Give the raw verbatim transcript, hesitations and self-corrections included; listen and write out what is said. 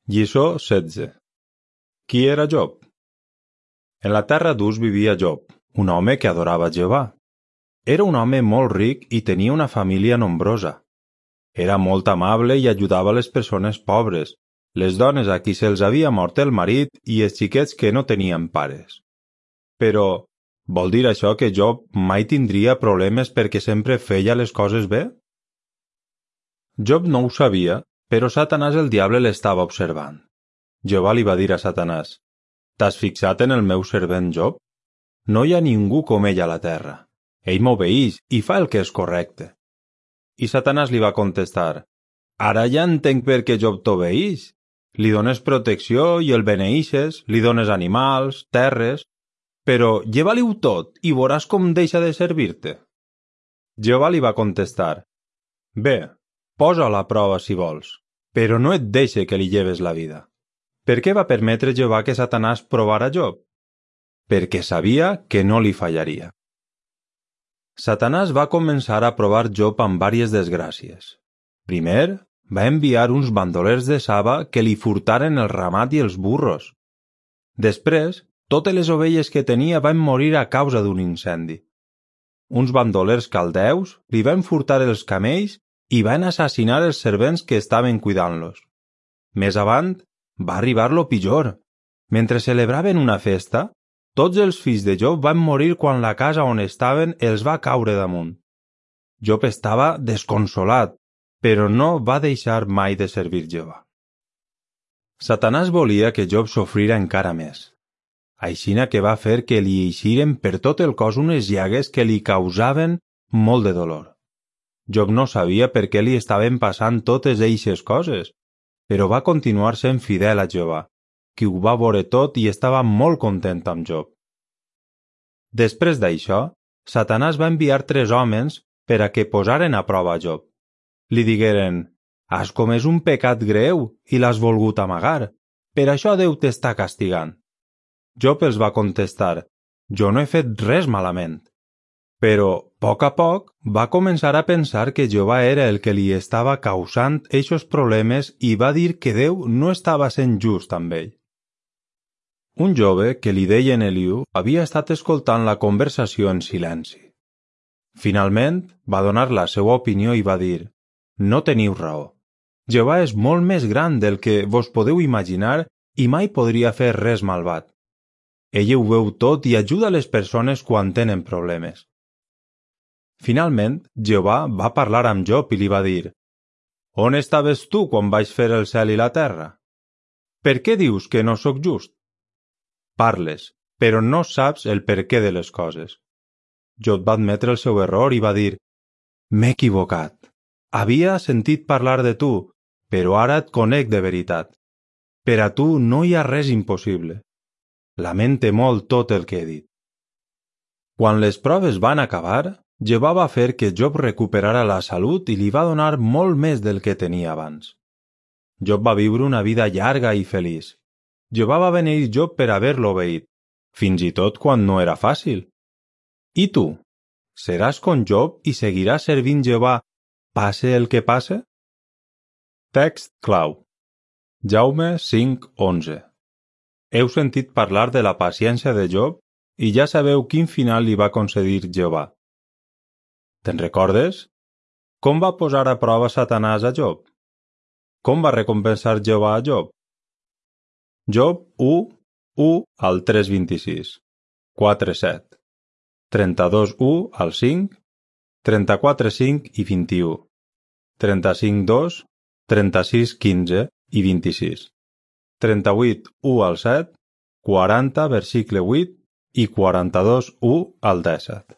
Lliçó setze. Qui era Job? En la terra d'Uz vivia Job, un home que adorava Jehovà. Era un home molt ric i tenia una família nombrosa. Era molt amable i ajudava les persones pobres, les dones a qui se'ls havia mort el marit i els xiquets que no tenien pares. Però, vol dir això que Job mai tindria problemes perquè sempre feia les coses bé? Job no ho sabia, però Satanàs el diable l'estava observant. Jehovà li va dir a Satanàs: «T'has fixat en el meu servent Job? No hi ha ningú com ell a la terra. Ell m'obeeix i fa el que és correcte». I Satanàs li va contestar: «Ara ja entenc per què Job t'obeeix. Li dones protecció i el beneeixes, li dones animals, terres, però lleva-li-ho tot i veuràs com deixa de servir-te». Jehovà li va contestar: «Bé, posa la prova si vols, però no et deixe que li lleves la vida». Per què va permetre Jehovà que Satanàs provara Job? Perquè sabia que no li fallaria. Satanàs va començar a provar Job amb vàries desgràcies. Primer, va enviar uns bandolers de Saba que li furtaren el ramat i els burros. Després, totes les ovelles que tenia van morir a causa d'un incendi. Uns bandolers caldeus li van furtar els camells i van assassinar els servents que estaven cuidant-los. Més avant, va arribar lo pitjor. Mentre celebraven una festa, tots els fills de Job van morir quan la casa on estaven els va caure damunt. Job estava desconsolat, però no va deixar mai de servir Jehovà. Satanàs volia que Job sofrira encara més. Aixina que va fer que li eixiren per tot el cos unes llagues que li causaven molt de dolor. Job no sabia per què li estaven passant totes eixes coses, però va continuar sent fidel a Jehovà, qui ho va veure tot i estava molt content amb Job. Després d'això, Satanàs va enviar tres homes per a que posaren a prova a Job. Li digueren: «Has comès un pecat greu i l'has volgut amagar, per això Déu t'està castigant». Job els va contestar: «Jo no he fet res malament». Però, a poc a poc, va començar a pensar que Jehovà era el que li estava causant eixos problemes i va dir que Déu no estava sent just amb ell. Un jove que li deien Eliu havia estat escoltant la conversació en silenci. Finalment, va donar la seva opinió i va dir: «No teniu raó. Jehovà és molt més gran del que vos podeu imaginar i mai podria fer res malvat. Ell ho veu tot i ajuda les persones quan tenen problemes». Finalment, Jehovà va parlar amb Job i li va dir: «On estaves tu quan vaig fer el cel i la terra? Per què dius que no sóc just? Parles, però no saps el perquè de les coses». Job va admetre el seu error i va dir: «M'he equivocat. Havia sentit parlar de tu, però ara et conec de veritat. Per a tu no hi ha res impossible. Lamente molt tot el que he dit». Quan les proves van acabar, Jehovà va fer que Job recuperara la salut i li va donar molt més del que tenia abans. Job va viure una vida llarga i feliç. Jehovà va beneir Job per haver-lo obeït, fins i tot quan no era fàcil. I tu, seràs com Job i seguiràs servint Jehovà, passe el que passe? Text clau. Jaume cinc onze. Heu sentit parlar de la paciència de Job i ja sabeu quin final li va concedir Jehovà. Te'n recordes? Com va posar a prova Satanàs a Job? Com va recompensar Jehovà a Job? Job u, u al tres vint-i-sis, quatre set, trenta-dos u al cinc, trenta-quatre cinc i vint-i-u, trenta-cinc dos, trenta-sis quinze i vint-i-sis, trenta-vuit u al set, quaranta versicle vuit i quaranta-dos u al dèsset.